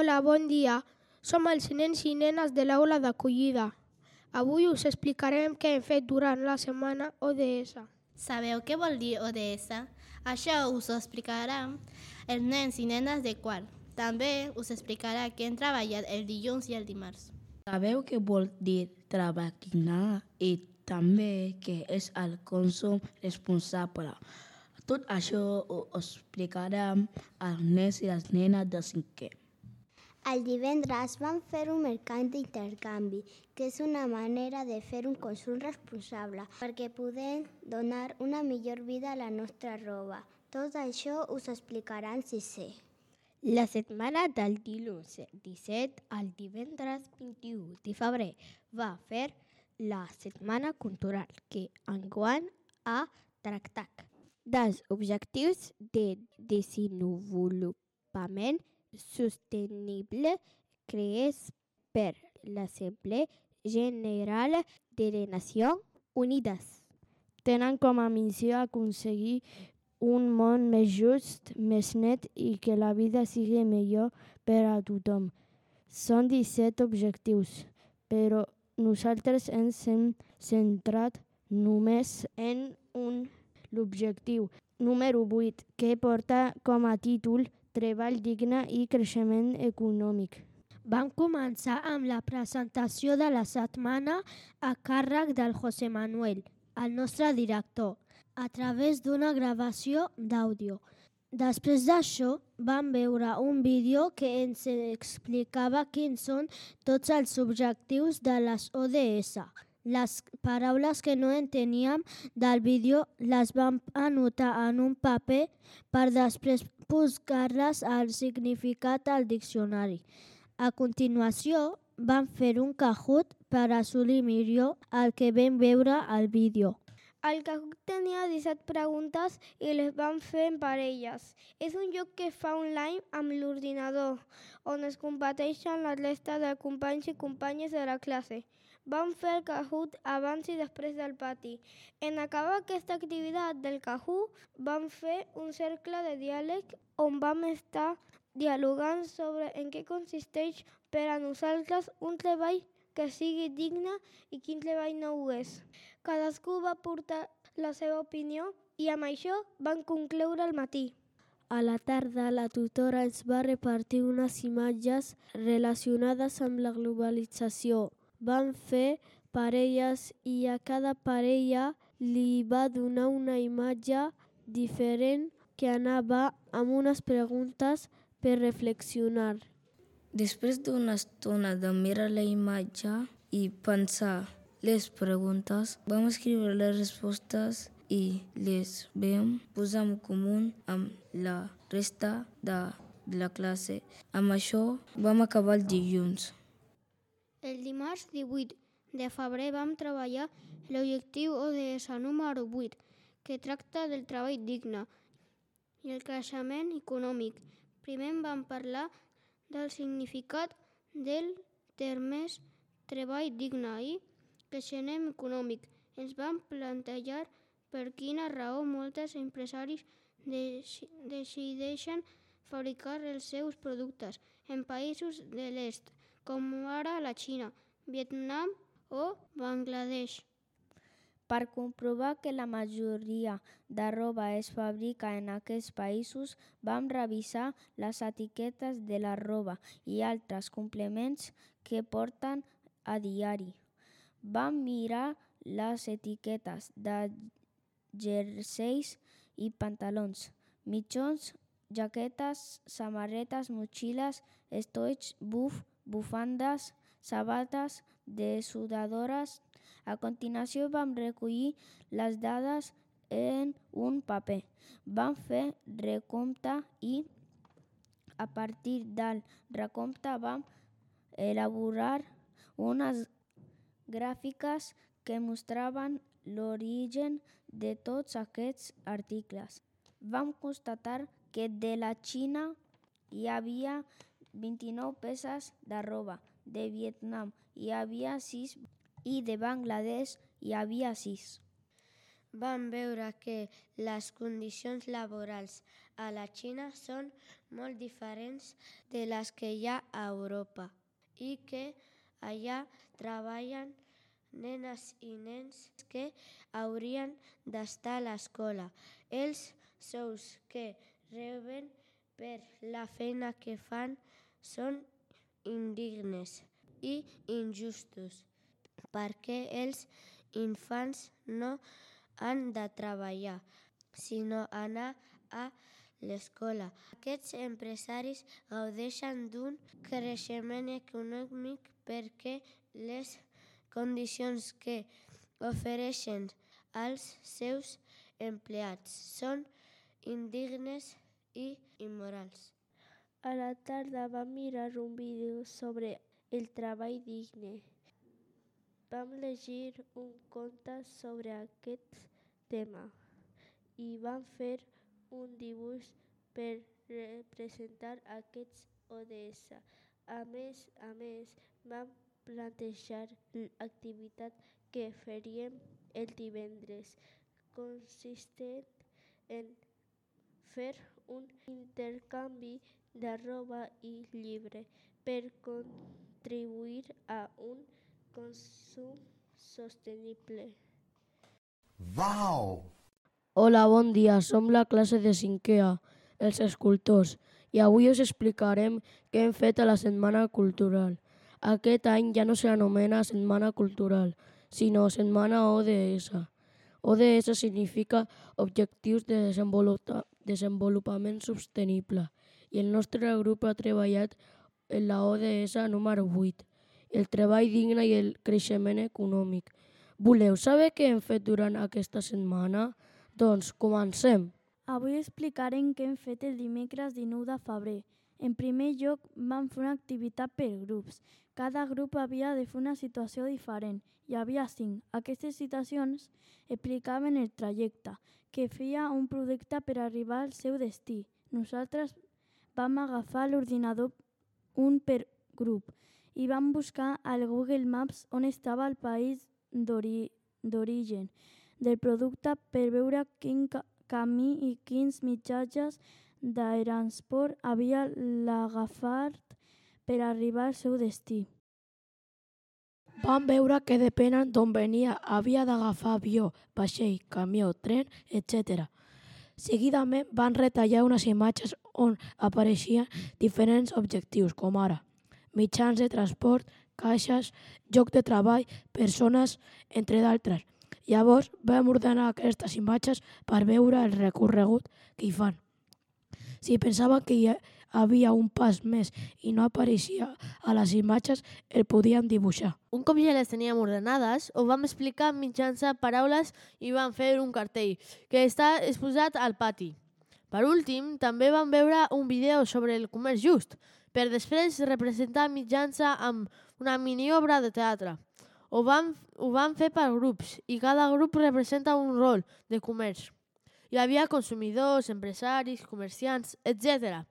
Hola, bon dia. Som els nens i nenes de l'aula d'acollida. Avui us explicarem què hem fet durant la setmana ODS. Sabeu què vol dir ODS? Això us ho explicarà els nens i nenes de quart. També us explicarà què hem treballat el dilluns i el dimarts. Sabeu què vol dir treballar i també què és el consum responsable. Tot això ho explicarem als nens i les nenes de cinquè. El divendres vam fer un mercat d'intercanvi, que és una manera de fer un consum responsable perquè podem donar una millor vida a la nostra roba. Tot això us explicarà en sisè. La setmana del dilluns 17 al divendres 21 de febrer va fer la setmana cultural que enguany ha tractat dels objectius de desenvolupament sostenible creats per l'Assemblea General de les Nacions Unides. Tenen com a missió aconseguir un món més just, més net i que la vida sigui millor per a tothom. Són 17 objectius, però nosaltres ens hem centrat només en un, l'objectiu número 8, que porta com a títol Treball digne i creixement econòmic. Vam començar amb la presentació de la setmana a càrrec del José Manuel, el nostre director, a través d'una gravació d'àudio. Després d'això, vam veure un vídeo que ens explicava quins són tots els objectius de les ODS. Les paraules que no enteníem del vídeo les vam anotar en un paper per després buscar-les al significat al diccionari. A continuació, vam fer un Kahoot per assolir millor el que vam veure al vídeo. El Kahoot tenia 17 preguntes i les vam fer en parelles. És un joc que fa online amb l'ordinador, on es competeixen la resta de companys i companyes de la classe. Vam fer el Kahoot abans i després del pati. En acabar aquesta activitat del Kahoot, vam fer un cercle de diàleg on vam estar dialogant sobre en què consisteix per a nosaltres un treball que sigui digne i quin treball no ho és. Cadascú va portar la seva opinió i amb això van concloure el matí. A la tarda, la tutora ens va repartir unes imatges relacionades amb la globalització. Vam fer parelles i a cada parella li va donar una imatge diferent que anava amb unes preguntes per reflexionar. Després d'una estona de mirar la imatge i pensar les preguntes, vam escriure les respostes i les vam posar en comú amb la resta de la classe. Amb això vam acabar el dilluns. El dimarts 18 de febrer vam treballar l'objectiu ODS número 8, que tracta del treball digne i el creixement econòmic. Primer vam parlar del significat del termes treball digne i creixement econòmic. Ens vam plantejar per quina raó molts empresaris decideixen fabricar els seus productes en països de l'est, com ara la Xina, Vietnam o Bangladesh. Per comprovar que la majoria de roba es fabrica en aquests països, vam revisar les etiquetes de la roba i altres complements que porten a diari. Vam mirar les etiquetes de jerseis i pantalons, mitjons, jaquetes, samarretes, motxilles, estoigs, bufandes, sabates, dessuadores. A continuació vam recollir les dades en un paper. Vam fer recompte i a partir del recompte vam elaborar unes gràfiques que mostraven l'origen de tots aquests articles. Vam constatar que de la Xina hi havia 29 peces de roba, de Vietnam hi havia 6 i de Bangladesh hi havia 6. van veure que les condicions laborals a la Xina són molt diferents de les que hi ha a Europa i que allà treballen nenes i nens que haurien d'estar a l'escola. Els sous que reben per la feina que fan són indignes i injustos perquè els infants no han de treballar, sinó anar a l'escola. Aquests empresaris gaudeixen d'un creixement econòmic perquè les condicions que ofereixen als seus empleats són indignes i immorals. A la tarda vam mirar un vídeo sobre el treball digne. Vam llegir un conte sobre aquest tema i vam fer un dibuix per representar aquests ODS. A més, vam plantejar l'activitat que faríem el divendres, consistent en fer un intercanvi de roba i llibre per contribuir a un consum sostenible. Wow! Hola, bon dia. Som la classe de 5è A, els escultors, i avui us explicarem què hem fet a la Setmana Cultural. Aquest any ja no s'anomena Setmana Cultural, sinó Setmana ODS. ODS significa Objectius de Desenvolupament Sostenible, i el nostre grup ha treballat en la ODS número 8, el treball digne i el creixement econòmic. Voleu saber què hem fet durant aquesta setmana? Doncs comencem. Avui explicarem què hem fet el dimecres 19 de febrer. En primer lloc, vam fer una activitat per grups. Cada grup havia de fer una situació diferent. Hi havia 5. Aquestes situacions explicaven el trajecte, que feia un projecte per arribar al seu destí. Nosaltres vam agafar l'ordinador un per grup i vam buscar al Google Maps on estava el país d'origen del producte per veure quin camí i quins mitjans de transport havia d'agafar per arribar al seu destí. Vam veure que depenent d'on venia havia d'agafar avió, vaixell, camió, tren, etc. Seguidament van retallar unes imatges on apareixien diferents objectius, com ara mitjans de transport, caixes, lloc de treball, persones, entre d'altres. Llavors vam ordenar aquestes imatges per veure el recorregut que hi fan. Si pensaven que hi havia un pas més i no apareixia a les imatges, el podíem dibuixar. Un cop ja les teníem ordenades, ho vam explicar mitjançant paraules i vam fer un cartell que està exposat al pati. Per últim, també vam veure un vídeo sobre el comerç just, per després representar mitjançant amb una mini-obra de teatre. Ho vam fer per grups i cada grup representa un rol de comerç. Hi havia consumidors, empresaris, comerciants, etc.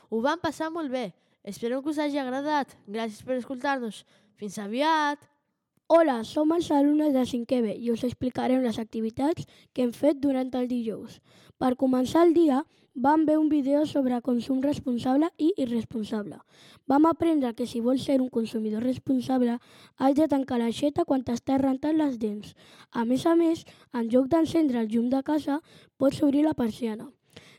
Ho vam passar molt bé. Espero que us hagi agradat. Gràcies per escoltar-nos. Fins aviat! Hola, som els alumnes de 5è B i us explicarem les activitats que hem fet durant el dijous. Per començar el dia, vam veure un vídeo sobre consum responsable i irresponsable. Vam aprendre que si vols ser un consumidor responsable, has de tancar l'aixeta quan t'estàs rentant les dents. A més, en lloc d'encendre el llum de casa, pots obrir la persiana.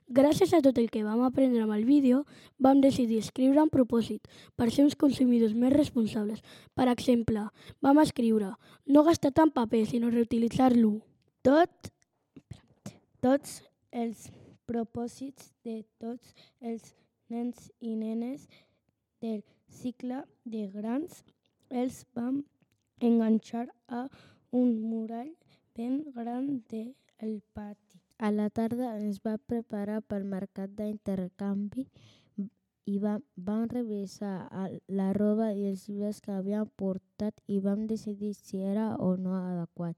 Gràcies a tot el que vam aprendre amb el vídeo, vam decidir escriure un propòsit per ser uns consumidors més responsables. Per exemple, vam escriure no gastar tant paper, sinó reutilitzar-lo. Tots els propòsits de tots els nens i nenes del cicle de grans els vam enganxar a un murall ben gran del pati. A la tarda ens va preparar pel mercat d'intercanvi i vam revisar la roba i els llibres que havíem portat i vam decidir si era o no adequat.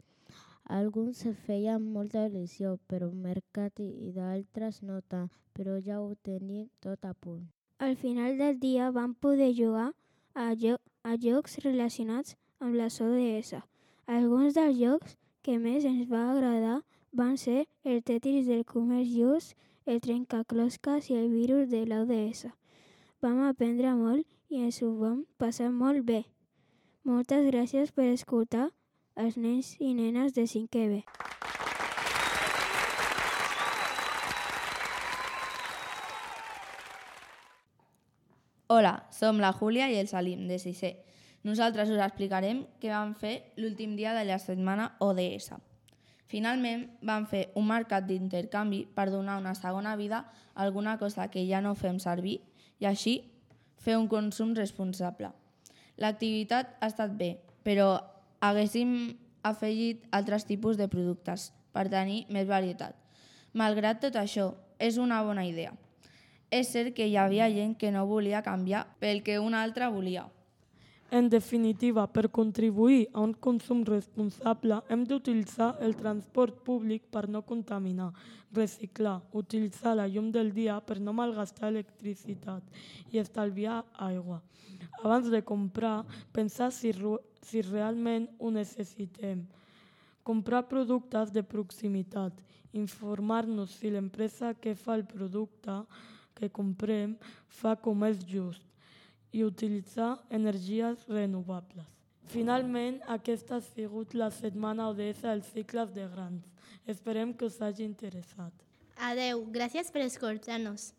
Alguns feien molta il·lusió per un mercat i d'altres no tant, però ja ho tenim tot a punt. Al final del dia vam poder jugar a jocs relacionats amb les ODS. Alguns dels jocs que més ens va agradar van ser el Tetris del comerç just, el trencaclosques i el virus de l'ODS. Vam aprendre molt i ens ho vam passar molt bé. Moltes gràcies per escoltar els nens i nenes de 5è B. Hola, som la Júlia i el Salim, de 6è. Nosaltres us explicarem què vam fer l'últim dia de la setmana ODS. Finalment, vam fer un mercat d'intercanvi per donar una segona vida a alguna cosa que ja no fem servir i així fer un consum responsable. L'activitat ha estat bé, però haguéssim afegit altres tipus de productes per tenir més varietat. Malgrat tot això, és una bona idea. És cert que hi havia gent que no volia canviar pel que una altra volia. En definitiva, per contribuir a un consum responsable, hem d'utilitzar el transport públic per no contaminar, reciclar, utilitzar la llum del dia per no malgastar electricitat i estalviar aigua. Abans de comprar, pensar si realment ho necessitem. Comprar productes de proximitat, informar-nos si l'empresa que fa el producte que comprem fa comerç just i utilitzar energies renovables. Finalment, aquesta ha sigut la setmana ODS dels cicles de grans. Esperem que us hagi interessat. Adeu, gràcies per escoltar-nos.